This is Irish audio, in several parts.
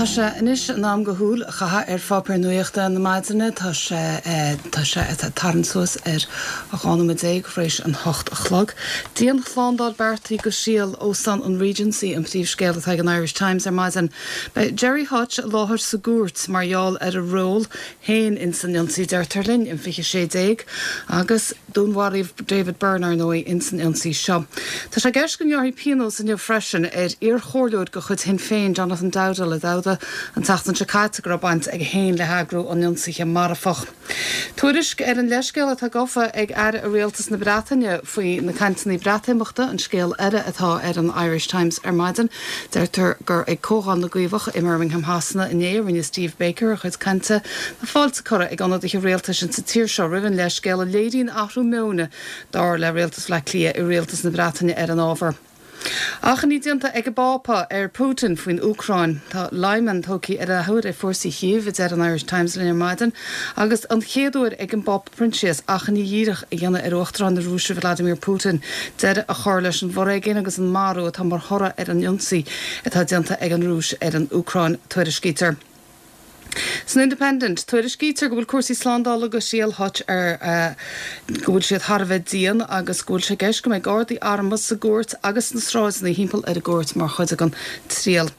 Tá sé anois in am do shúil a chaitheamh ar pháipéir nuachta na maidine. Tá sé tá sé ag tarraingt suas ar 12 nóiméad tar éis an 8 a chlog. Dianshlándáil beartaithe do thriail Óstán an Regency an príomhscéal atá ag an Irish Times ar maidin. Beidh Gerry Hutch i láthair sa gcúirt mar gheall ar a ról féin ins an ionsaí, deirtear linn, in 2016 agus dúnmharaíodh David Byrne, ar ndóigh, ins an ionsaí seo. Tá sé i gceist go ngearrfaí pionós inniu freisin ar iarchomhairleoir de chuid Shinn Féin, Jonathan Dowdall, a d'admhaigh an tseachtain seo caite go raibh baint aige féin le heagrú an ionsaithe marfach. Tuairisc ar an leithscéal atá gafa ag Aire i Rialtas na Breataine faoi na cainteanna Breatimeachta an scéal eile atá ar an Irish Times ar maidin. Deirtear gur ag Comhdháil na gCaomhach i mBirmingham Shasana inné a rinne Steve Baker a chuid cainte. Tá fáilte curtha ag ionadaithe rialtais insa tír seo roimh an leithscéal a léiríonn athrú meoin dar le Rialtas Bhaile Átha Cliath i Rialtas na Breataine ar an ábhar. Achainí déanta ag an bPápa ar Putin faoin Úcráin. Tá Lyman tógtha ar athuair ag fórsaí Chív, a deir an Irish Times linn ar maidin, agus an chéad uair ag an bPápa Proinsias achainí dhíreach a dhéanamh ar Uachtarán na Rúise Vladimir Putin deireadh a chur leis an bhforéigean agus an marú atá mar thoradh ar an ionsaí atá déanta ag an Rúis ar an Úcráin. Tuairiscítear. San Independent, tuairiscítear go bhfuil cúrsaí slándála do thriail Hutch ar go bhfuil siad thar a bheith dian agus go bhfuil sé i gceist go mbeidh gardaí armtha sa gcúirt agus sna sráideanna thimpeall ar an gcúirt mar chuid den triail.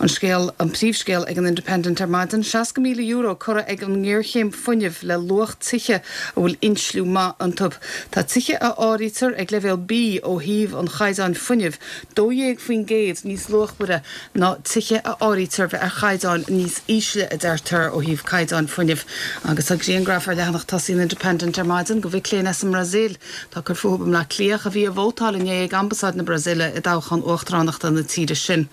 An scéal, an príomhscéal ag an Independent ar maidin, €60,000 curtha ag an ngéarchéim fuinnimh le luach tithe a bhfuil insliú maith iontu. Tá tithe a áirítear ag leibhéal B ó thaobh an chaighdeáin fuinnimh 12% níos luachmhaire ná tithe a áirítear bheith ar chaighdeáin níos ísle, a deirtear, ó thaobh caighdeáin fuinnimh. Agus tá grianghraf ar leathanach tosaigh an Independent ar maidin de mhic léinn as an mBrasaíl atá ag cur fúthu i mBleá Cliath a bhí ag vótáil inné ag Ambasáid na Brasaíle i dtoghchán uachtaránachta na tíre sin.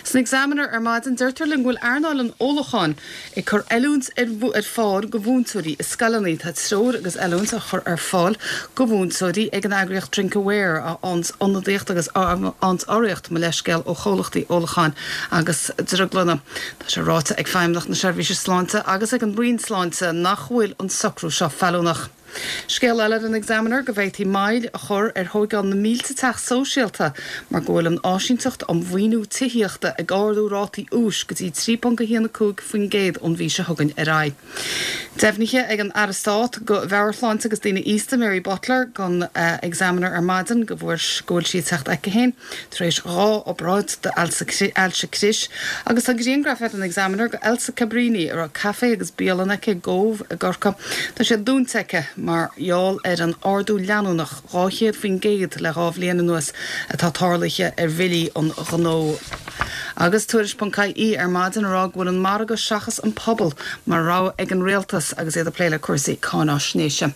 San Examiner ar maidin deirtear linn go bhfuil earnáil an ólacháin ag cur oiliúint ar fáil do mhúinteoirí i scoileanna. Tá treoir agus oiliúint á chur ar fáil do mhúinteoirí ag an eagraíocht Drink Aware, a fhaigheanns ionadaíocht agus a fhaigheanns urraíocht, mo leithscéal, ó chomhlachtaí ólacháin agus drioglanna. Tá sé ráite ag Feidhmeannacht na Seirbhíse Sláinte agus ag an Roinn Sláinte nach bhfuil an socrú seo feiliúnach. Scéal eile ar an Examiner go bhféadfaí moill a chur ar thóigeáil na mílte teach sóisialta mar go bhfuil an Áisínteacht um Mhaoiniú Tithíochta ag ardú rátaí úis go dtí 3.15% ón mhí seo chugainn ar aghaidh. Deimhnithe ag an Aire Stáit do Mheabhairshláinte agus Daoine Aosta Mary Butler don Examiner ar maidin go bhfuil sí ag teacht aici féin. tar éis 2 obráid d'ailse crois agus tá grianghraf ar an Examiner de Elsa Cabrini a raibh caife agus bialann aici i gCóbh i gCorcaigh. Tá sé dúnta aici mar gheall ar an ardú leanúnach 200% le 2 bhliain anuas atá tarlaithe ar bhillí an ghnó. Agus Tuairisc.ie ar maidin ag rá go bhfuil an margadh seachas an pobal mar rogha ag an rialtas agus iad ag plé le cúrsaí cáináisnéise.